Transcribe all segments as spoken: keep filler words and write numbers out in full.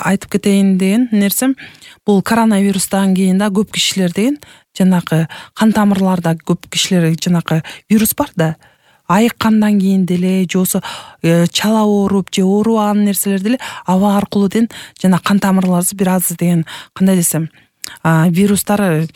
айтып кетейин деген нерсем, бул коронавирустан кийин да көп кишилер деген жанагы кан тамырларда көп кишилер жанагы вирус бар да, айыккандан кийин деле же болбосо чала ооруп же оорубаган нерселер деле аба аркылуу деген жана кан тамырларыбыз бир аз деген кандай десем вирустар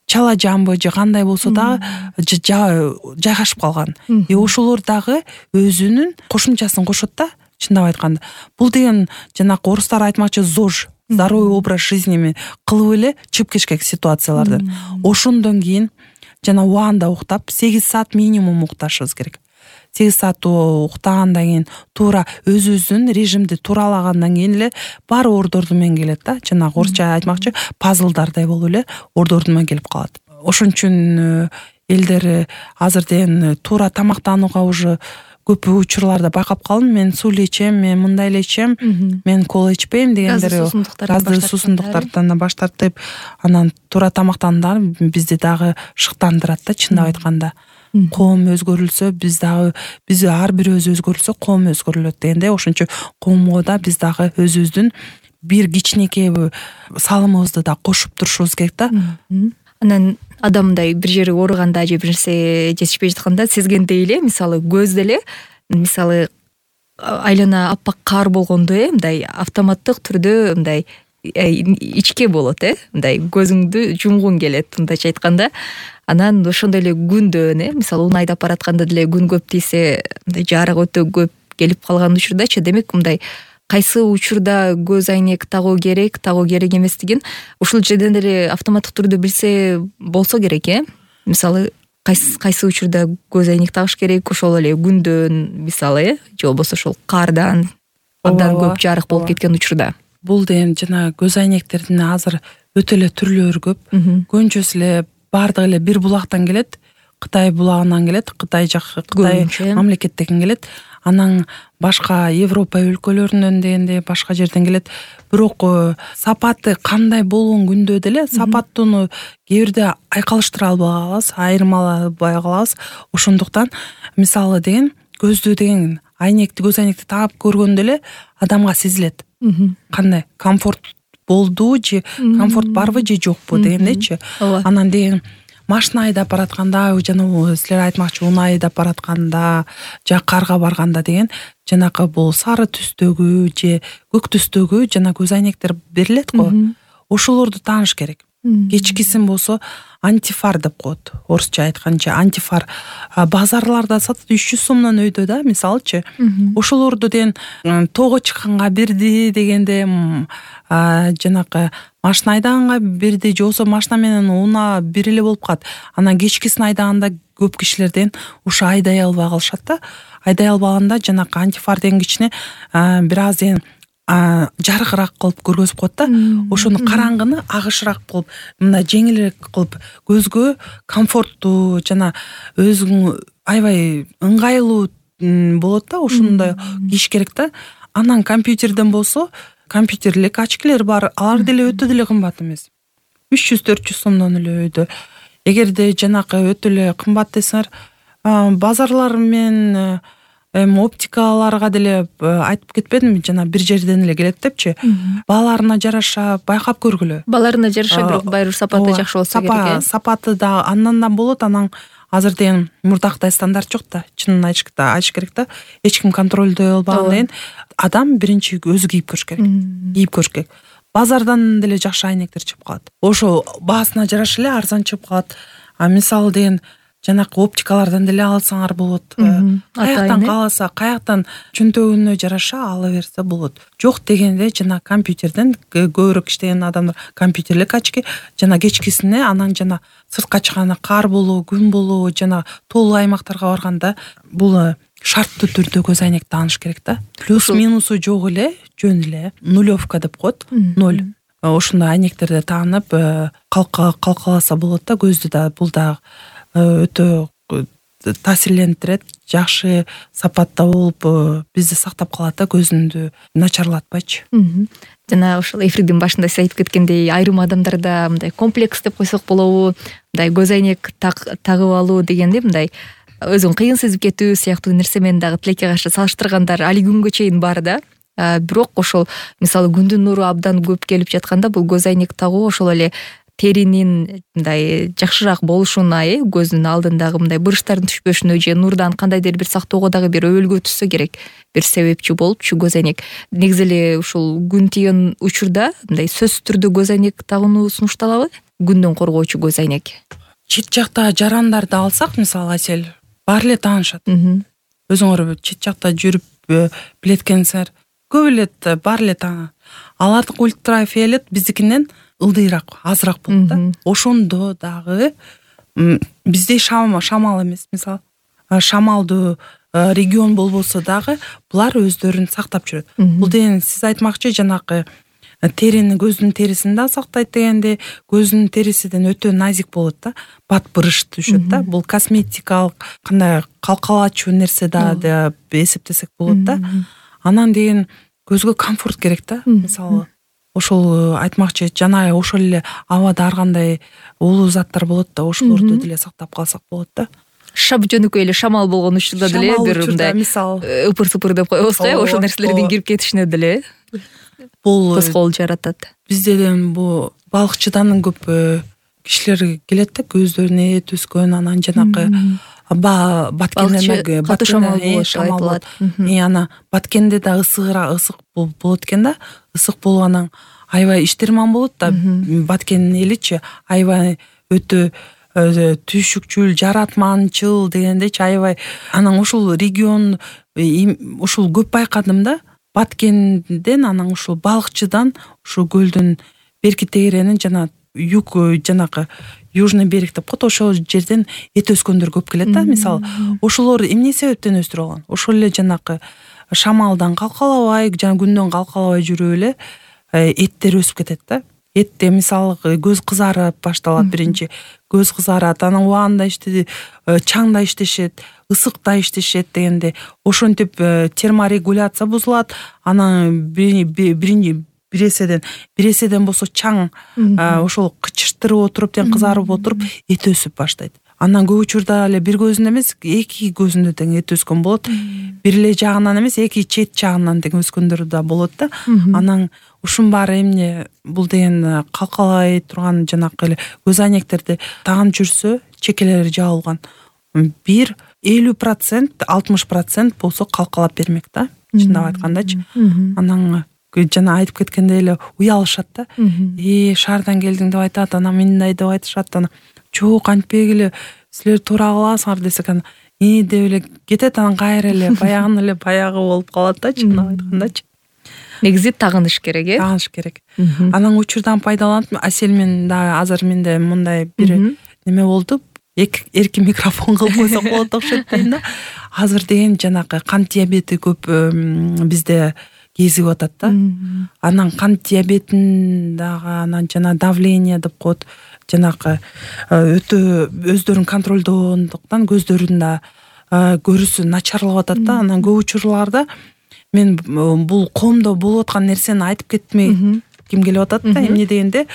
чала жамбы же кандай болсо дагы жайгашып калган. И ошолор дагы өзүнүн кошумчасын кошот да, чындап айтканда. Бул деген жанагы орустар айтмакчы ЗОЖ, здоровый образ жизни кылып эле чыгып кетишкен ситуацияларды. Ошондон кийин жана убагында уктап, сегиз саат минимум укташыбыз керек. сегиз саат уктагандан кийин туура өзүбүздүн режимди туралагандан кийин эле баары ордорду менен келет да. Жанагы орусча айтмакчы пазлдардай болуп эле ордорду менен келип калат. Ошон үчүн элдер азыр деген туура тамактанууга уже көп учурларда байкап калдым. Мен суу эле ичем, мен мындай эле ичем, мен кола ичпейм дегендер, газды суусундуктардан баш тартып, анан туура тамактануудан бизди дагы шыктандырат да, чындап айтканда. Коом өзгөрүлсө, биз дагы биз ар бирөөбүз өзгөрүлсө, коом өзгөрүлөт дегенде, ошончо коомго да биз дагы өзүбүздүн бир кичинекей салымыбызды да кошуп турушубуз керек да. Анан адамдай бир жери ооруганда же бир нерсе жетишпей жатканда сезгендей эле, мисалы көз деле, мисалы айлана аппак кар болгондо э мындай автоматтык түрдө мындай ичке болот э, мындай көзүңдү жумгуң келет, мындайча айтканда. Анан ошондой эле күндөн э, мисалы унайда апп аратканда деле күн көп тийсе, мындай жарык өтө көп келип калган учурдачы, демек мындай кайсы учурда көз айнек тагуу керек, тагуу керек эместигин ушул жерден деле автоматтык түрдө билсе болсо керек э. Мисалы кайсы кайсы учурда көз айнек тагыш керек, ошол эле күндөн мисалы э, же болбосо ошол кардан абдан көп жарык болуп кеткен учурда. Бул деген жана көз айнектердин азыр өтө эле түрлөрү көп. Көбүнчөсү эле бардыгы эле бир булактан келет. Кытай булагынан келет, Кытай жак Кытай мамлекеттен келет. Анан башка Европа өлкөлөрүнөн дегенде башка жерден келет. Бирок сапаты кандай болгон күндө деле сапаттууну кээ бирде айкалыштыра албай калабыз, айырмалабай калабыз. Ошондуктан мисалы деген көздү деген айнекти, көз айнекти тагып көргөндө эле адамга сезилет. Кандай комфорт болду же комфорт барбы же жокпу дегендечи. Анан деген машина айдап баратканда, жана силер айтмакчы унаа айдап баратканда, же карга барганда деген жанагы бул сары түстөгү же көк түстөгү жана көз айнектер берилет го. Ошолорду тааныш керек. Кечкисин болсо антифар деп коет. Орусча айтканча антифар базарларда сатат үч жүз сомдон өйдө да, мисалчы. Ошолорду деген тоого чыкканга бирди дегенде, жанагы машина айдаганга бирди, же болбосо машина менен унаа бир эле болуп калат. Анан кечкисин айдаганда көп кишилерден ушу айдай албай калышат да. Айдай албаганда жанагы антифар деген кичине бир аз деген жарыгыраак кылып көргөзүп коет да. Ошону караңгыны агышыраак кылып, мындай жеңилирээк кылып, көзгө комфорттуу жана өзүң аябай ыңгайлуу болот да. Ошондой кийиш керек да. Анан компьютерден болсо, компьютерлик очкилер бар, алар деле өтө деле кымбат эмес. үч жүз төрт жүз сомдон эле өйдө. Эгерде жанакы өтө эле кымбат десеңер, базарлар менен эми оптикаларга деле айтып кетпедимби, жана бир жерден эле келет депчи. Бааларына жараша байкап көргүлө. Бааларына жараша, бирок баары сапаты жакшы болсо керек. Сапаты да андан да болот. Анан азыр деген мурдактай стандарт жок да. Чынын айтыш керек да. Эч ким контролдой албаган деген адам биринчи өзү кийип көрүш керек. Кийип көрүш керек. Базардан деле жакшы айнектер чыгып калат. Ошо баасына жараша эле арзан чыгып калат. А мисалы деген жанакы оптикалардан деле алсаңар болот. Каяктан кааласа, каяктан чөнтөгүнө жараша ала берсе болот. Жок дегенде жана компьютерден көбүрөөк иштеген адамдар компьютерлик очки, жана кечкисине, анан жана сыртка чыкканда кар болобу, күн болобу, жана тоолуу аймактарга барганда бул шарттуу түрдө көз айнек тааныш керек да. Плюс минусу жок эле, жөн эле нулевка деп коет, ноль. Ошондой айнектерди таанып калкаласа болот да, көздү да. Бул да өтө таасирлендирет, жакшы сапатта болуп бизди сактап калат да, көзүндү начарлатпайчы. Жана ошол эфирдин башында сиз айтып кеткендей, айрым адамдарда мындай комплекс деп койсок болобу, мындай көз айнек тагып алуу дегенде мындай өзүн кыйын сезип кетүү сыяктуу нерсе менен дагы тилекке каршы салыштыргандар али күнгө чейин бар да. бирок ошол мисалы күндүн нуру абдан көп келип жатканда бул көз айнек тагуу ошол эле теринин мындай жакшыраак болушуна, э көздүн алдындагы мындай буручтардын түшпөшүнө же нурдан кандайдыр бир сактоого дагы бир өбөлгө түшсө керек бир себепчи болупчу көз айнек. Негизи эле ушул күн тиген учурда мындай сөзсүз түрдө көз айнек тагууну сунушталабы? Күндөн коргоочу көз айнек. Чет жакта жарандарды алсак, мисалы Асель, баары эле таанышат. Өзүңөр чет жакта жүрүп билет экенсиңер. Көп эле баары эле таанышат. Алардык ультрафиолет биздикинен ылдыйраак, азыраак болот да. Ошондо дагы бизде шамал эмес, мисалы шамалдуу регион болбосо дагы булар өздөрүн сактап жүрөт. Бул деген сиз айтмакчы жанакы терини, көздүн терисин да сактайт дегенде, көздүн терисиден өтө назик болот да, бат бырыш түшөт да. Бул косметикалык кандай калкалачу нерсе да деп эсептесек болот да. Анан деген көзгө комфорт керек да. Мисалы ошол айтмакчы, жана ошол эле абада ар кандай улуу заттар болот да, ошолорду деле сактап калсак болот да. Шап жөнөкөй эле шамал болгон учурда деле бир мындай мисалы ыпыр-сыпыр деп коебузго, ошол нерселердин кирип кетишине деле бул тоскоол жаратат. Бизден бул балыкчыдан көп кишилер келет да, көздөрүнө эт өскөн, анан жанакы баткенден катуу шамал болот. Ана баткенде да ысыгыраак, ысык болот экен да. Ысык болуп анан аябай иштерман болот да. Баткендин эличи аябай өтө түйшүкчүл, жаратманчыл дегендечи аябай. Анан ушул регион ушул көп байкадым да. Баткенден анан ушул балыкчыдан ушул көлдүн берки тегеренин жана юг жанакы южный берег деп коет, ошол жерден эт өскөндөр көп келет да. Мисалы ошолор эмне себептен өстүрүп алган? Ошол эле жанакы шамалдан калкалабай, жана күндөн калкалабай жүрүп эле эттер өсүп кетет да. Этте мисалы көз кызарып башталат, биринчи көз кызарат, анан убагында ишти чаңда иштешет, ысыкта иштешет дегенде ошентип терморегуляция бузулат. Анан биринчи биреседен биреседен болсо чаң ошол кычыштырып отуруп, тең кызарып отуруп эт өсүп баштайт. Анан көп учурда эле бир көзүндө эмес, эки көзүндө тең эт өскөн болот. Бир эле жагынан эмес, эки чет жагынан тең өскөндөр да болот да. Анан ушун баары эмне? Бул деген калкалай турган жанакы эле көз айнектерди таанып жүрсө, чекелери жабылган. Бир элүү процент, алтымыш процент болсо калкалап бермек да. Чындап айткандачы. Анан жана айтып кеткендей эле уялышат да. Э, шаардан келдиң деп айтат, анан мындай деп айтышат, анан жок антпегиле силер туура кыласыңар десек, анан э деп эле кетет, анан кайра эле баягын эле баягы болуп калат да, чындап айткандачы. Негизи тагыныш керек, э? Тагыныш керек. Анан учурдан пайдаланып, Асель мен да азыр менде мындай бир неме болду. Эркин микрофон кылып койсок болот окшойт дейм да. Азыр деген жанакы кант диабети көп бизде кезип атат да. Анан кант диабетин дагы, анан жана давление деп коет, жанакы өтө өздөрүн контролдогондуктан көздөрүн да көрүүсү начарлап атат да. Анан көп учурларда мен бул коомдо болуп аткан нерсени айтып кетмей ким келип атат да. Эмне дегенде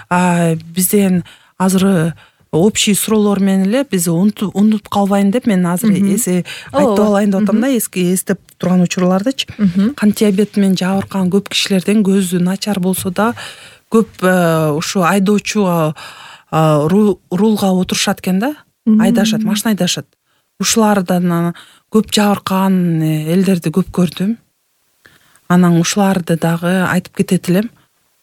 бизден азыр общий суроолор менен эле биз унутуп калбайын деп мен азыр эсе айтып алайын деп атам да, эски эстеп турган учурлардычы. Кант диабети менен жабыркаган көп кишилерден көзү начар болсо да көп ушу айдоочуга рулга отурушат экен да, айдашат, машина айдашат. Ушулардан көп жабыркаган элдерди көп көрдүм. Анан ушуларды дагы айтып кетет элем.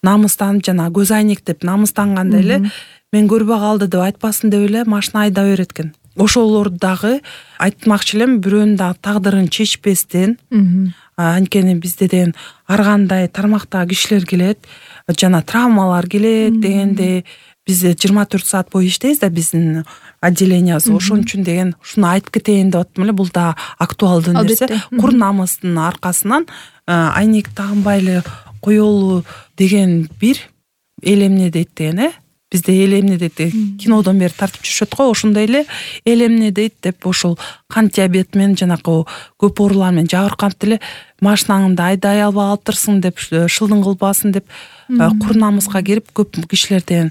Намыстанып жана көз айнек деп намыстанганда эле мен көрбөй калды деп айтпасын деп эле машина айда берет экен. Ошолорду дагы айтмакчы элем, бирөөнүн дагы тагдырын чечпестен. Анткени бизде деген ар кандай тармактагы кишилер келет, жана травмалар келет дегенде биз жыйырма төрт саат бою иштейбиз да, биздин отделениясы. Ошон үчүн деген ушуну айтып кетейин деп аттым эле. Бул да актуалдуу нерсе. Кур намыстын аркасынан айнек тагынбай эле коелу деген бир эл эмне дейт деген, э? Бизде эл эмне дейт, кинодон бери тартып жүрүшөт го, ошондой эле эл эмне дейт деп ошол кант диабети менен жанакы көп оорулар менен жабырканып деле машинаңды айдай албай калыптырсың деп, шылдың кылбасын деп кур намыска кирип көп кишилерден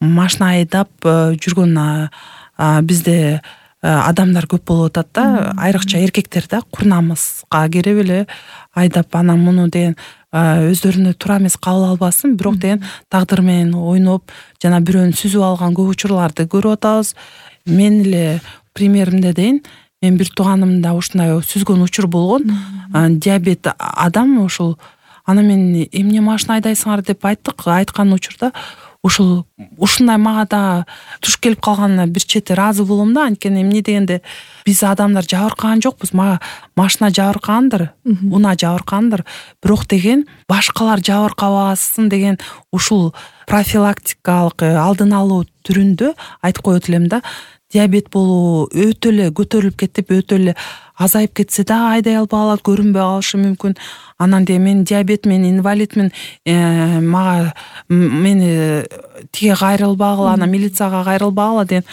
машина айдап жүргөн бизде адамдар көп болуп атат да, айрыкча эркектер да, кур намыска кирип эле айдап анан муну деген өздөрүнө туура эмес кабыл албасын, бирок деген тагдыр менен ойноп жана бирөөнү сүзүп алган көп учурларды көрүп атабыз. Мен эле примеримде дейин, мен бир тууганымда ушундай сүзгөн учур болгон. Диабет адам ушул, ана мен эмне машина айдайсыңар деп айттык, айткан учурда ушул ушундай мага да туш келип калганына бир чети ыраазы болом да. Анткени эмне дегенде биз адамдар жабыркаган жокпуз, мага машина жабыркагандыр, унаа жабыркагандыр, бирок деген башкалар жабыркабасын деген ушул профилактикалык алдын алуу түрүндө айтып коет элем да. Диабет болуу өтө эле көтөрүлүп кетип, өтө эле азайып кетсе да айдай албай калат, көрүнбөй калышы мүмкүн. Анан де мен диабет, мен инвалидмин, э, мага мени тиге кайрылбагыла, анан милицияга кайрылбагыла деген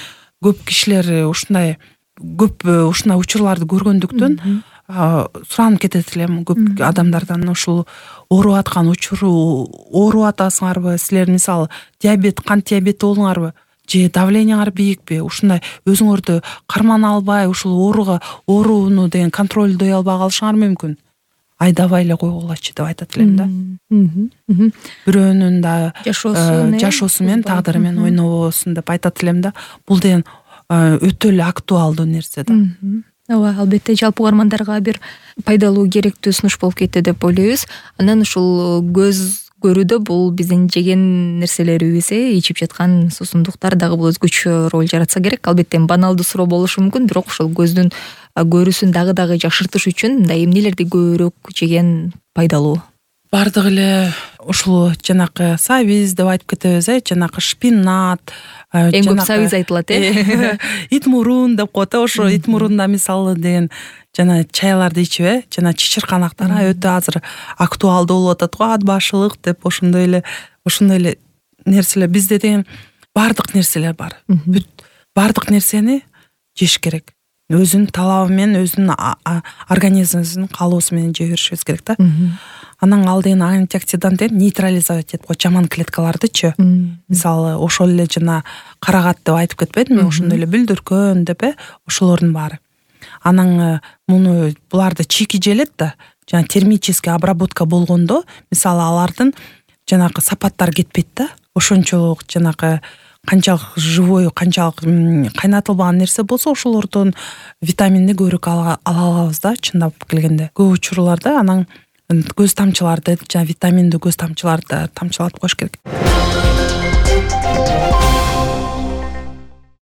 көп кишилер ушундай көп ушундай учурларды көргөндүктөн суранып кетет элем көп адамдардан. Ушул ооруп аткан учуру, ооруп атасыңарбы силер, мисалы диабет, кант диабети болдуңарбы, же давлениеңар биикпи, ушундай өзүңөрдү кармана албай ушул ооруга ооруну деген контролдой албай калышыңар мүмкүн. Айдабай эле койгулачы деп айтат элем да. Бирөөнүн да жашоосу менен, тагдыры менен ойнобосун деп айтат элем да. Бул деген өтө эле актуалдуу нерсе да. Ооба, албетте жалпы угармандарга бир пайдалуу, керектүү сунуш болуп кетти деп ойлойбуз. Анан ушул көз көрүүдө бул биздин жеген нерселерибиз, ичип жаткан суусундуктар дагы бул өзгөчө роль жаратса керек. Албетте баналдуу суроо болушу мүмкүн, бирок ошол көздүн көрүүсүн дагы дагы жакшыртыш үчүн мындай эмнелерди көбүрөөк жеген пайдалуу? Бардык эле ушул жанакы сабиз деп айтып кетебиз, э, жанакы шпинат, эң көп сабиз айтылат, э. Ит мурун деп коет, ошо ит мурунда мисалы деген жана чайларды ичип, э, жана чычырканактар өтө азыр актуалдуу болуп атат го, ат башылык деп. Ошондой эле ошондой эле нерселер бизде деген бардык нерселер бар. Бүт бардык нерсени жеш керек. Өзүнүн талабы менен, өзүнүн организмибиздин каалоосу менен жей беришибиз керек да. Анан ал деген антиоксидант деп нейтрализовать этип коет жаман клеткалардычы. Мисалы ошол эле жана карагат деп айтып кетпедимби, ошондой эле бүлдүркөн деп, э, ошолордун баары. Анан муну буларды чийки желет да, жана термический обработка болгондо, мисалы алардын жанакы сапаттары кетпейт да. Ошончолук жанакы канчалык живой, канчалык кайнатылбаган нерсе болсо ошолордон витаминди көбүрөөк ала алабыз да, чындап келгенде. Көп учурларда анан көз тамчыларды, жана витаминдүү көз тамчыларды тамчылатып коюш керек.